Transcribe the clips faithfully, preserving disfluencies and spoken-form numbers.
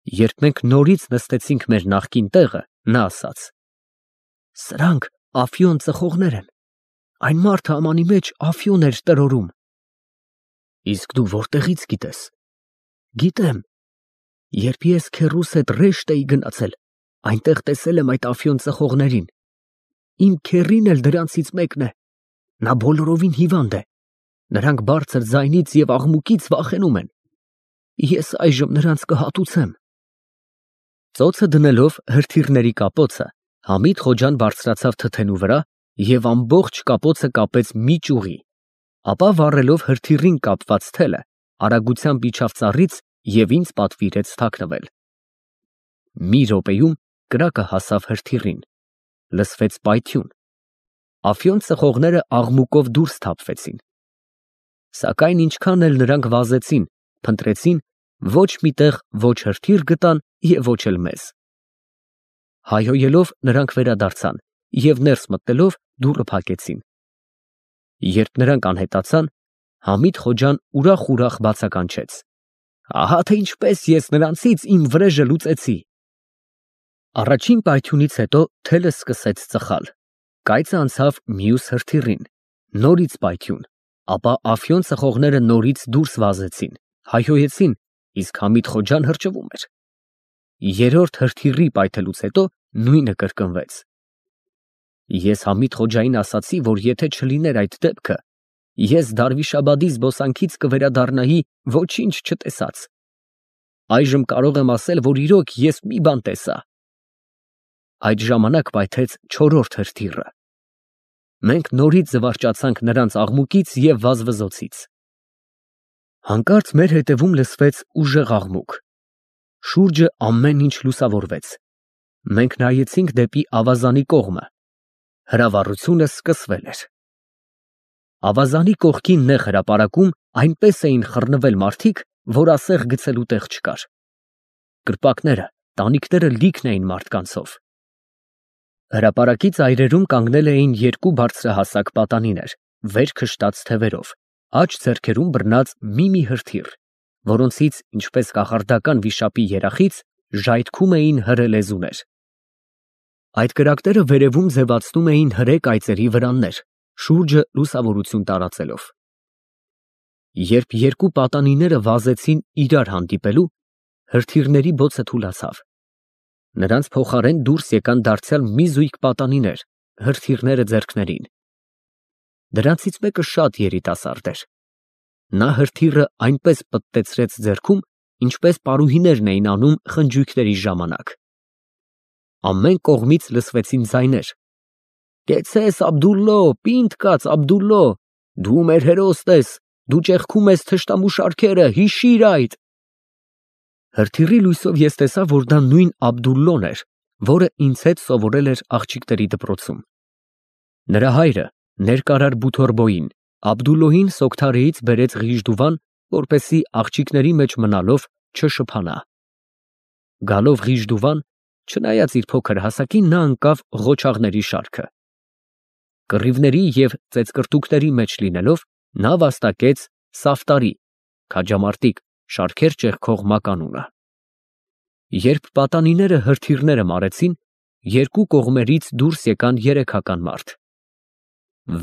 Երբ մենք նորից նստեցինք մեր նախկին տեղը, նա ասաց. «Սրանք Ափիոն ծխողներ են, այն մարդը ամանի մեջ Ափիոն էր տրորում»։ Իսկ դու որտեղից գիտես։ Գիտեմ, երբ ես քեռուս հետ Ռեշտ էի գնացել, այնտեղ տեսել եմ այդ Ափիոն ծխողներին, իմ քեռին էլ դրանցից մեկն է, նա բոլորովին հիվանդ է, նրանք բարձր ձայնից և աղմուկից վախենում են, ես այժմ նրանց կհատուցեմ։ Ծոցը դնելով հրթիռների կապոցը, Համիդ Խոջան բարձրացավ թթենու վրա և ամբողջ կապոցը կապեց մի ճյուղի, ապա վառելով հրթիռին կապված թելը, արագությամբ իջավ ծառից և ինձ պատվիրեց թաքնվել։ Մի րոպեում կրակը հասավ հրթիռին, լսվեց պայթյուն, Ափիոն ծխողները աղմուկով դուրս թափվեցին, սակայն ինչքան էլ նրանք վազեցին, փնտրեցին, ոչ մի տեղ ոչ հրթիռ գտան և ոչ էլ մեզ։ Հայհոյելով նրանք վերադարձան և ներս մտնելով դուռը փակեցին։ Երբ նրանք անհետացան, Համիդ Խոջան ուրախ֊ուրախ բացականչեց. «Ահա թե ինչպես ես նրանցից իմ վրեժը լուծեցի»։ Առաջին պայթյունից հետո թելը սկսեց ծխալ, կայծը անցավ մյուս հրթիռին, նորից պայթյուն, ապա Ափիոն ծխողները նորից դուրս վազեցին, հայհոյեցին, իսկ Համիդ Խոջան հրճվում էր։ Երրորդ հրթիռի պայթելուց հետո նույնը կրկնվեց։ Ես Համիդ Խոջային ասացի, որ եթե չլիներ այդ դեպքը, ես Դարվիշաբադի զբոսանքից կվերադառնայի ոչինչ չտեսած։ Այժմ կարող եմ ասել, որ իրոք ես մի բան տեսա։ Այդ ժամանակ պայթեց չորրորդ հրթիռը։ Մենք նորից զվարճացանք նրանց աղմուկից և վազվզոցից։ Հանկարծ մեր հետևում լսվեց ուժեղ աղմուկ։ Շուրջը ամեն ինչ լուսավորվեց։ Մենք նայեցինք դեպի ավազանի կողմը։ Հրավառությունը սկսվել էր։ Ավազանի կողքին նեղ հրապարակում այնպես էին խռնվել մարդիկ, որ ասեղ գցելու տեղ չկար։ Կրպակները, տանիքները լիքն էին մարդկանցով։ Հրապարակի ծայրերում կանգնել էին երկու բարձրահասակ պատանիներ, վեր քշտած թևերով, աջ ձեռքերում բռնած մի֊մի հրթիռ, որոնցից, ինչպես կախարդական վիշապի երախից, ժայթքում էին հրե լեզուներ։ Այդ կրակները վերևում ձևացնում էին հրե կայծերի վրաններ, շուրջը լուսավորություն տարածելով։ Երբ երկու պատանիները վազեցին իրար հանդիպելու, հրթիռների բոցը թուլացավ։ Նրանց փոխարեն դուրս եկան դարձյալ մի զույգ պատանիներ, հրթիռները ձեռքներին։ Դրանցից մեկը շատ երիտասարդ էր։ Նա հրթիռը այնպես պտտեցրեց ձեռքում, ինչպես պարուհիներն էին անում խնջույքների ժամանակ։ Ամեն կողմից լսվեցին ձայներ. «Կեցցես, Աբդուլլո, պինդ կաց, Աբդուլլո, դու մեր հերոսն ես, դու ճեղքում ես թշնամու շարքերը, հիշիր այդ»։ Հրթիռի լույսով ես տեսա, որ դա նույն Աբդուլլոն էր, որը ինձ հետ սովորել էր աղջիկների դպրոցում։ Նրա հայրը, ներկարար Բութորբոյին, Աբդուլլոյին Սոգթարեից բերեց Ղիժդուվան, որպեսզի աղջիկների մեջ մնալով չշփանա։ Գալով Ղիժդուվան, չնայած իր փոքր հասակին, նա ընկավ ղոչաղների շարքը։ Կռիվների և ծեծկռտուքների մեջ լինելով, նա վաստակեց Սաֆտարի (քաջամարտիկ) շարքեր ճեղքող մականունը։ Երբ պատանիները հրթիռները մարեցին, երկու կողմերից դուրս եկան երեքական մարդ։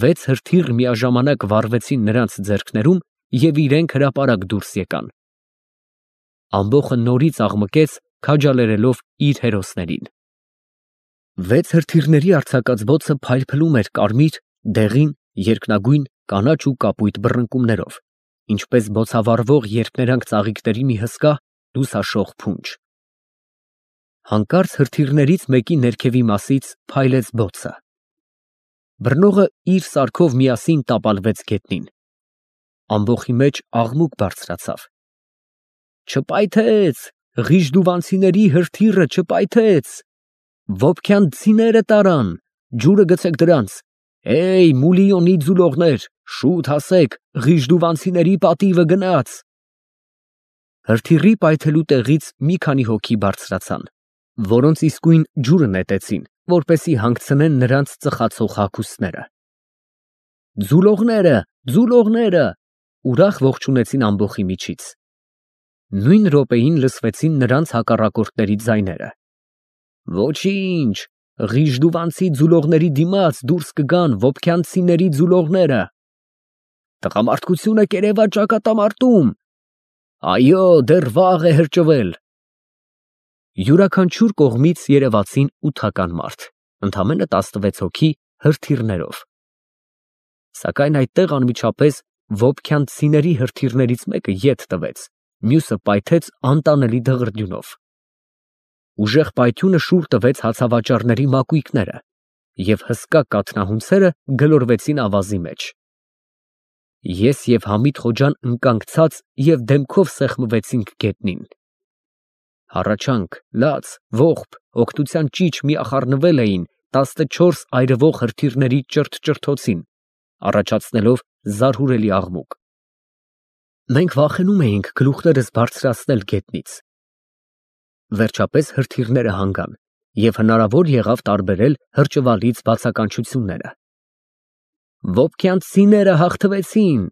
Վեց հրթիռ միաժամանակ վառվեցին նրանց ձեռքներում և իրենք հրապարակ դուրս եկան։ Ամբոխը նորից աղմկեց, քաջալերելով իր հերոսներին։ Վեց հրթիռների արձակած բոցը փայլփլում էր կարմիր, դեղին, երկնագույն, կանաչ ու կապույտ բռնկումներով, ինչպես բոցավառվող երփներանգ ծաղիկների մի հսկա, լուսաշող փունջ։ Հանկարծ հրթիռներից մեկի ներքևի մասից փայլեց բոցը։ Բռնողը իր սարքով միասին տապալվեց գետնին։ Ամբոխի մեջ աղմուկ բարձրացավ։ Չպայթեց, Ղիժդուվանցիների հրթիռը չպայթեց։ Ոփքյանցիները տարան, ջուրը գցեք դրանց, էյ, Մուլիոնի ձուլողներ, շուտ հասեք, Ղիժդուվանցիների պատիվը գնաց։ Հրթիռի պայթելու տեղից մի քանի հոգի բարձրացան, որոնց իսկույն ջուրը նետեցին, որպեսզի հանգցնեն նրանց ծխացող հագուստները։ Ձուլողները, ձուլողները, ուրախ ողջունեցին ամբոխի միջից։ Նույն րոպեին լսվեցին նրանց հակառակորդների ձայները։ Ոչինչ, Ղիժդուվանցի ձուլողների դիմաց դուրս կգան Վոփքյանցիների ձուլողները։ Տղամարդկությունը կերևա ճակատամարտում։ Այո, դեռ վաղ է հրճվել։ Յուրաքանչյուր կողմից երևացին ութական մարդ, ընդամենը տասնվեց հոգի հրթիռներով։ Սակայն այդտեղ անմիջապես Վոփքյանցիների հրթիռներից մեկը ետ տվեց, մյուսը պայթեց անտանելի դղրդյունով։ Ուժեղ պայթյունը շուռ տվեց հացավաճառների մակույկները, և հսկա կաթնահունցերը գլորվեցին ավազի մեջ։ Ես և Համիդ Խոջան ընկանք ցած և դեմքով սեղմվեցինք գետնին։ Հառաչանք, լաց, ողբ, օգնության ճիչ միախառնվել էին տասնչորս այրվող հրթիռների ճրթ֊ճրթոցին, առաջացնելով զարհուրելի աղմուկ։ Մենք վախենում էինք գլուխներս բարձրացնել գետնից։ Վերջապես հրթիռները հանգան, և հնարավոր եղավ տարբերել հրճվալից բացականչությունները։ Վոփքյանցիները հաղթվեցին։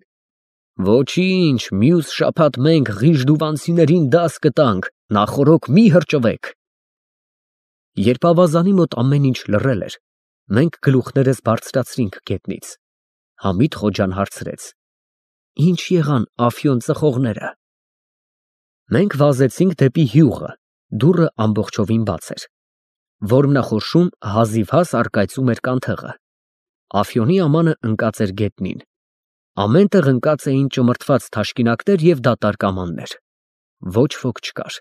Ոչինչ, մյուս շաբաթ մենք Ղիժդուվանցիներին դաս կտանք, նախօրոք մի հրճվեք։ Երբ ավազանի մոտ ամեն ինչ լռել էր, մենք գլուխներս բարձրացրինք գետնից։ Համիդ Խոջան հարցրեց. Ինչ եղան Ափիոն ծխողները։ Մենք վազեցինք դեպի հյուղը, դուռը ամբողջովին բաց էր։ Որմնախորշում հազիվհազ առկայծում էր կանթեղը։ Ափիոնի ամանը ընկած էր գետնին։ Ամեն տեղ ընկած էին ճմրթված թաշկինակներ և դատարկ ամաններ։ Ոչ ոք չկար։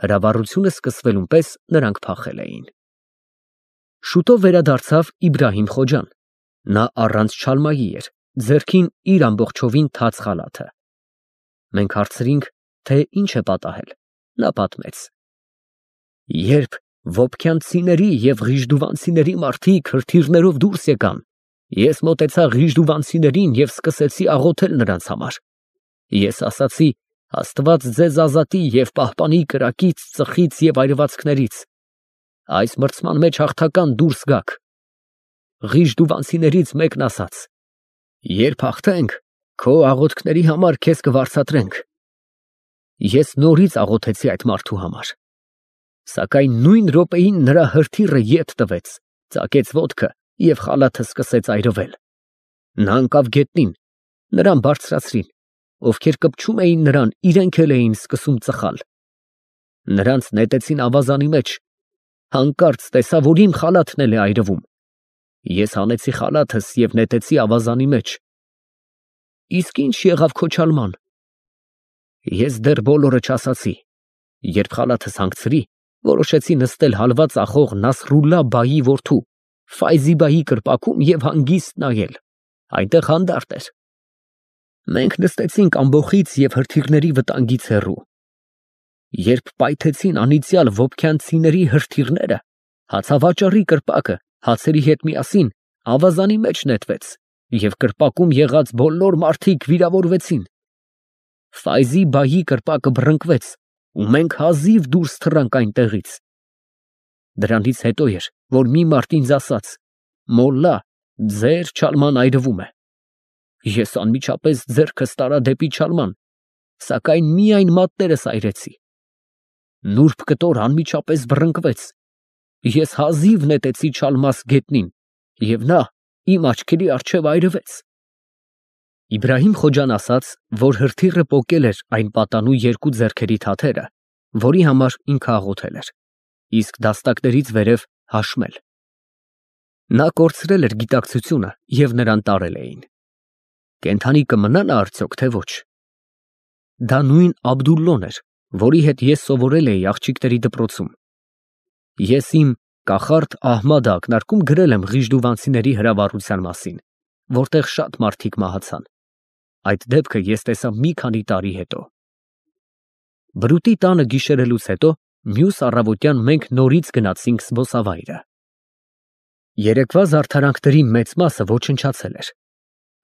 Հրավառությունը սկսվելուն պես նրանք փախել էին։ Շուտով վերադարձավ Իբրահիմ Խոջան։ Նա առանց չալմայի էր, ձեռքին իր ամբողջովին թաց խալաթը։ Մենք հարցրինք, թե ինչ է պատահել։ Նա պատմեց. Երբ Վոփքյանցիների և Ղիժդուվանցիների մարդիկ հրթիռներով դուրս եկան, ես մոտեցա Ղիժդուվանցիներին և սկսեցի աղոթել նրանց համար։ Ես ասացի. Աստված ձեզ ազատի և պահպանի կրակից, ծխից և այրվածքներից։ Այս մրցման մեջ հաղթական դուրս գաք։ Ղիժդուվանցիներից մեկն ասաց. Երբ հաղթենք, քո աղոթքների համար քեզ կվարձատրենք։ Ես նորից աղոթեցի այդ մարդու համար։ Սակայն նույն րոպեին նրա հրթիռը ետ տվեց, ծակեց ոտքը և խալաթը սկսեց այրվել։ Նա ընկավ գետնին, նրան բարձրացրին, ովքեր կպչում էին նրան, իրենք էլ էին սկսում ծխալ։ Նրանց նետեցին ավազանի մեջ, հանկարծ տեսա, որ իմ խալաթն էլ է այրվում։ Ես հանեցի խալաթս և նետեցի ավազանի մեջ։ Իսկ ի՞նչ եղավ քո չալման։ Ես դեռ բոլորը չասացի։ Երբ խալաթս հանգցրի, որոշեցի նստել հալվա ծախող Նասրուլլա բայի որդու Ֆայզի բայի կրպակում և հանգիստ նայել։ Այնտեղ հանդարտ էր։ Մենք նստեցինք ամբոխից և հրթիռների վտանգից հեռու։ Երբ պայթեցին անիծյալ Վոփքյանցիների հրթիռները, հացավաճառի կրպակը հացերի հետ միասին ավազանի մեջ նետվեց, և կրպակում եղած բոլոր մարդիկ վիրավորվեցին։ Ֆայզի բայի կրպակը բռնկվեց, ու մենք հազիվ դուրս թռանք այնտեղից։ Դրանից հետո էր, որ մի մարդ ինձ ասաց. «Մոլլա, ձեր չալման այրվում է»։ Ես անմիջապես ձեռքս տարա դեպի չալման, սակայն միայն մատներս այրեցի։ Նուրբ կտոր անմիջապես բռնկվեց։ Ես հազիվ նետեցի չալմաս գետնին, և նա իմ աչքերի առջև այրվեց։ Իբրահիմ Խոջան ասաց, որ հրթիռը պոկել էր այն պատանու երկու ձեռքերի թաթերը, որի համար ինքը աղոթել էր, իսկ դաստակներից վերև հաշմել։ Նա կորցրել էր գիտակցությունը և նրան տարել էին։ Կենդանի կմնա նա արդյոք, թե ոչ։ Դա նույն Աբդուլլոն էր, որի հետ ես սովորել էի աղջիկների դպրոցում։ Ես իմ կախարդ Ահմադը ակնարկում գրել եմ Ղիժդուվանցիների հրավառության մասին, որտեղ շատ մարդիկ մահացան։ Այդ դեպքը ես տեսա մի քանի տարի հետո։ Բրուտի տանը գիշերելուց հետո մյուս առավոտյան մենք նորից գնացինք զբոսավայրը։ Երեկվա զարդարանքների մեծ մասը ոչնչացել էր։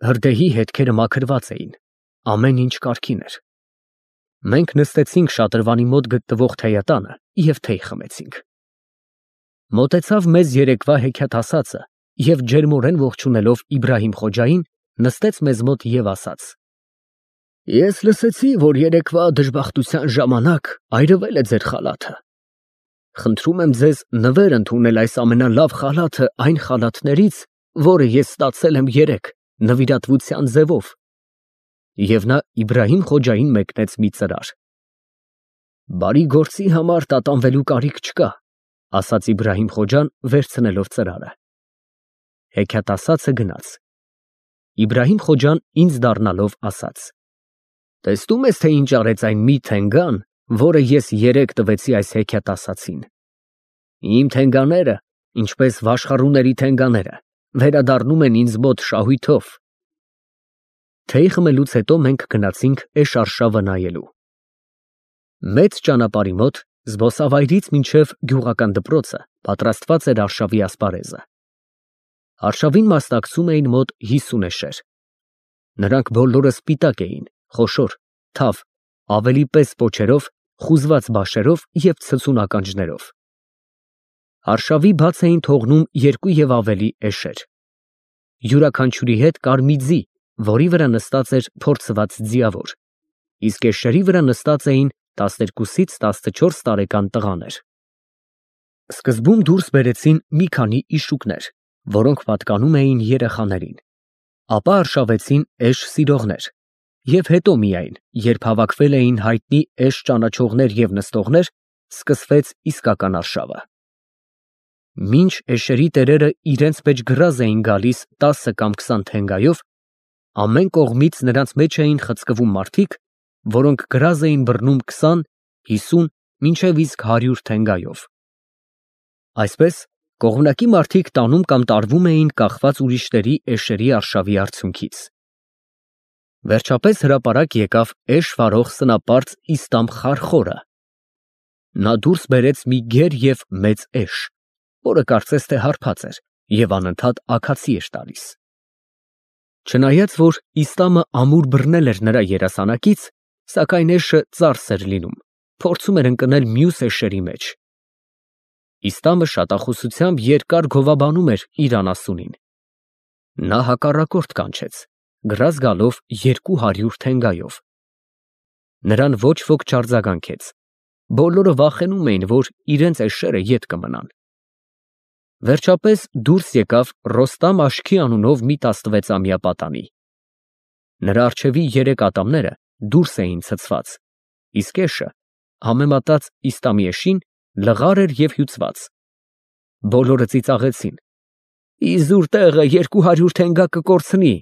Հրդեհի հետքերը մաքրված էին, ամեն ինչ կարգին էր։ Մենք նստեցինք շատրվանի մոտ գտնվող թեյատանը և թեյ խմեցինք։ Մոտեցավ մեզ երեկվա հեքիաթասացը և ջերմորեն ողջունելով Իբրահիմ Խոջային, նստեց մեզ մոտ և ասաց. Ես լսեցի, որ երեկվա դժբախտության ժամանակ այրվել է ձեր խալաթը։ Խնդրում եմ ձեզ նվեր ընդունել այս ամենալավ խալաթը այն խալաթներից, որը ես ստացել եմ երեկ նվիրատվության ձևով։ Եվ նա Իբրահիմ Խոջային մեկնեց մի ծրար։ Բարի գործի համար տատանվելու կարիք չկա, ասաց Իբրահիմ Խոջան, վերցնելով ծրարը։ Հեքիաթասացը գնաց։ Իբրահիմ Խոջան ինձ դառնալով ասաց. Տեսնում ես, թե ինչ արեց այն մի թենգան, որը ես երեկ տվեցի այս հեքիաթասացին։ Իմ թենգաները, ինչպես վաշխառուների թենգաները, վերադառնում են ինձ մոտ շահույթով։ Թեյ խմելուց հետո մենք գնացինք էշարշավը նայելու։ Մեծ ճանապարհի մոտ, զբոսավայրից մինչև գյուղական դպրոցը, պատրաստված էր արշավի ասպարեզը։ Արշավին մասնակցում էին մոտ հիսուն էշեր։ Նրանք բոլորը սպիտակ էին, խոշոր, թավ, ավելի պես պոչերով, խուզված բաշերով և ցցուն ականջներով։ Արշավի բաց էին թողնում երկու և ավելի էշեր։ Յուրաքանչյուրի հետ կար մի ձի, որի վրա նստած էր փորձված ձիավոր, իսկ էշերի վրա նստած էին տասներկուսից տասնչորս տարեկան տղաներ։ Սկզբում դուրս բերեցին մի քանի իշուկներ, որոնք պատկանում էին երեխաներին, ապա արշավեցին էշ սիրողներ, և հետո միայն, երբ հավաքվել էին հայտնի էշ ճանաչողներ և նստողներ, սկսվեց իսկական արշավը։ Մինչ էշերի տերերը իրենց մեջ գրազ էին գալիս տասը կամ քսան թենգայով, ամեն կողմից նրանց մեջ էին խցկվում մարդիկ, որոնք գրազ էին բռնում քսան, հիսուն, մինչև իսկ հարյուր թենգայով։ Այսպես, կողմնակի մարդիկ տանում կամ տարվում էին կախված ուրիշների էշերի արշավի արդյունքից։ Վերջապես հրապարակ եկավ էշ վարող սնապարծ Իստամ Խարխորը։ Նա դուրս բերեց մի գեր և մեծ էշ, որը կարծես թե հարբած էր և անընդհատ աքացի էր տալիս։ Չնայած որ Իստամը ամուր բռնել էր նրա երասանակից, սակայն էշը ծարս էր լինում, փորձում էր ընկնել մյուս էշերի մեջ։ Իստամը շատախոսությամբ երկար գովաբանում էր իր անասունին։ Նա հակառակորդ կանչեց, գրազ գալով երկու հարյուր թենգայով։ Նրան ոչ ոք չարձագանքեց, բոլորը վախենում էին, որ իրենց էշերը ետ կմնան։ Վերջապես դուրս եկավ Ռոստամ Աշքի անունով մի տասնվեցամյա պատանի։ Նրա առջևի երեք ատամները դուրս էին ցցված, իսկ էշը, համեմատած Իստամի էշին, լղար էր և հյուծված։ Բոլորը ծիծաղեցին. Իզուր տեղը երկու հարյուր թենգա կկորցնի։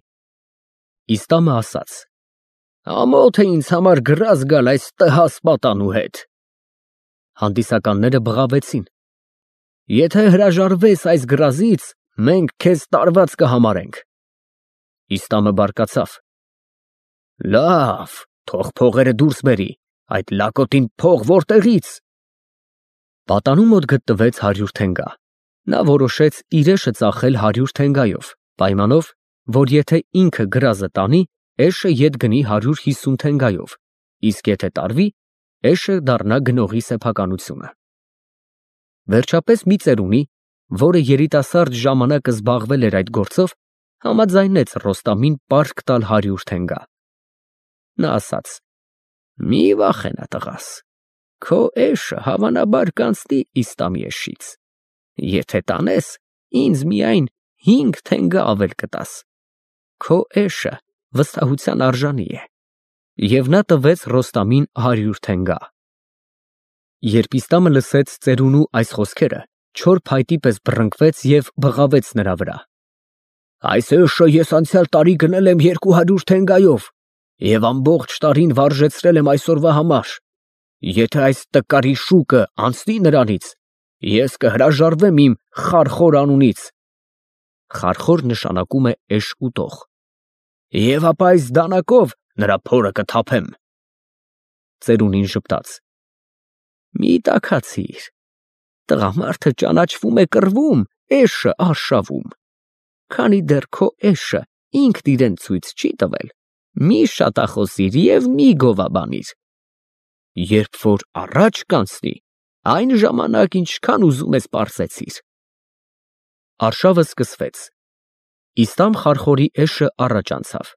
Իստամը ասաց. Ամոթ է ինձ համար գրազ գալ այս տհաս պատանու հետ։ Հանդիսականները բղավեցին. Եթե հրաժարվես այս գրազից, մենք քեզ տարված կհամարենք։ Իստամը բարկացավ. Լավ, թող փողերը դուրս բերի, այդ լակոտին փող որտեղից։ Պատանու մոտ գտնվեց հարյուր թենգա։ Նա որոշեց իր էշը ծախել հարյուր թենգայով, պայմանով, որ եթե ինքը գրազը տանի, էշը ետ գնի հարյուր հիսուն թենգայով, իսկ եթե տարվի, էշը դառնա գնողի սեփականությունը։ Վերջապես մի ծերունի, որը երիտասարդ ժամանակ զբաղվել էր այդ գործով, համաձայնեց Ռոստամին պարկ տալ հարյուր թենգա։ Նա ասաց. Մի վախենա տղաս, քո էշը հավանաբար կանցնի Իստամի էշից։ Եթե տանես, ինձ միայն հինգ թենգա ավել կտաս։ Քո էշը վստահության արժանի է։ Եվ նա տվեց Ռոստամին հարյուր թենգա։ Երբ Իստամը լսեց ծերունու այս խոսքերը, չոր փայտի պես բռնկվեց և բղավեց նրա վրա. Այս էշը ես անցյալ տարի գնել եմ երկու հարյուր թենգայով և ամբողջ տարին վարժեցրել եմ այսօրվա համար։ Եթե այս տկարի շուկը անցնի նրանից, ես կհրաժարվեմ իմ Խարխոր անունից (խարխոր նշանակում է էշ ուտող) և ապա այս դանակով նրա փորը կթափեմ։ Ծերունին ժպտաց. Մի տաքացիր, տղամարդը ճանաչվում է կռվում, էշը արշավում։ Քանի դեռ քո էշը ինքն իրեն ցույց չի տվել, մի շատախոսիր և մի գովաբանիր։ Երբ որ առաջ կանցնի, այն ժամանակ ինչքան ուզում ես պարզեցիր։ Արշավը սկսվեց։ Իստամ Խարխորի էշը առաջ անցավ։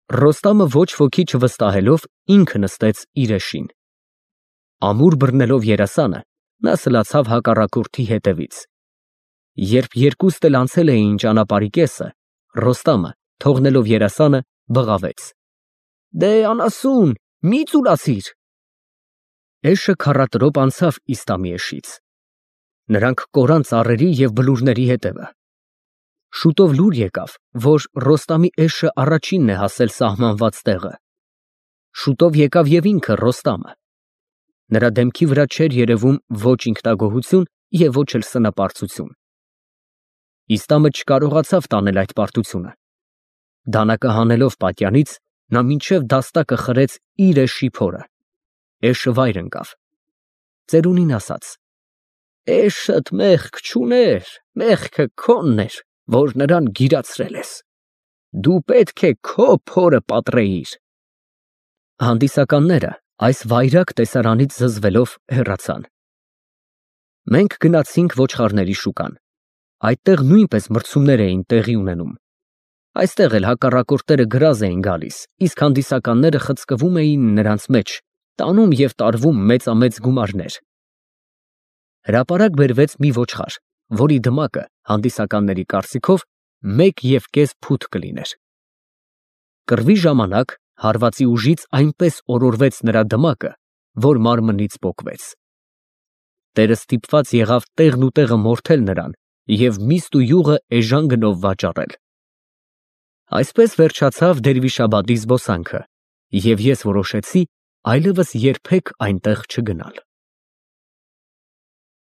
Ռոստամը ոչ ոքի չվստահելով ինքը նստեց իր էշին։ Ամուր բռնելով երասանը, նա սլացավ հակառակորդի հետևից։ Երբ երկուստ էլ անցել էին ճանապարհի կեսը, Ռոստամը, թողնելով երասանը, բղավեց. «Դե անասուն, մի ծուլացիր»։ Էշը քառատրոպ անցավ Իստամի էշից։ Նրանք կորան ծառերի և բլուրների հետևը։ Շուտով լուր եկավ, որ Ռոստամի էշը առաջինն է հասել սահմանված տեղը։ Շուտով եկավ և ինքը Ռոստամը։ Նրա դեմքի վրա չէր երևում ոչ ինքնագոհություն և ոչ էլ սնապարծություն։ Իստամը չկարողացավ տանել այդ պարտությունը։ Դանակը հանելով պատյանից, նա մինչև դաստակը խրեց իր էշի փորը։ Էշը վայր ընկավ։ Ծերունին ասաց. «Էշդ մեղք չուներ, մեղքը քոնն էր, որ նրան գիրացրել ես։ Դու պետք է քո փորը պատռեիր»։ Հանդիսականները այս վայրագ տեսարանից զզվելով հեռացան։ Մենք գնացինք ոչխարների շուկան։ Այդտեղ նույնպես մրցումներ էին տեղի ունենում։ Այստեղ էլ հակառակորդները գրազ էին գալիս, իսկ հանդիսականները խցկվում էին նրանց մեջ, տանում և տարվում մեծամեծ գումարներ։ Հրապարակ բերվեց մի ոչխար, որի դմակը հանդիսականների կարծիքով մեկ և կես փութ կլիներ։ Կռվի ժամանակ հարվածի ուժից այնպես օրորվեց նրա դմակը, որ մարմնից պոկվեց։ Տերը ստիպված եղավ տեղն ու տեղը մորթել նրան և միստ ու յուղը էժան գնով վաճառել։ Այսպես վերջացավ Դերվիշաբադի զբոսանքը, և ես որոշեցի այլևս երբեք այնտեղ չգնալ։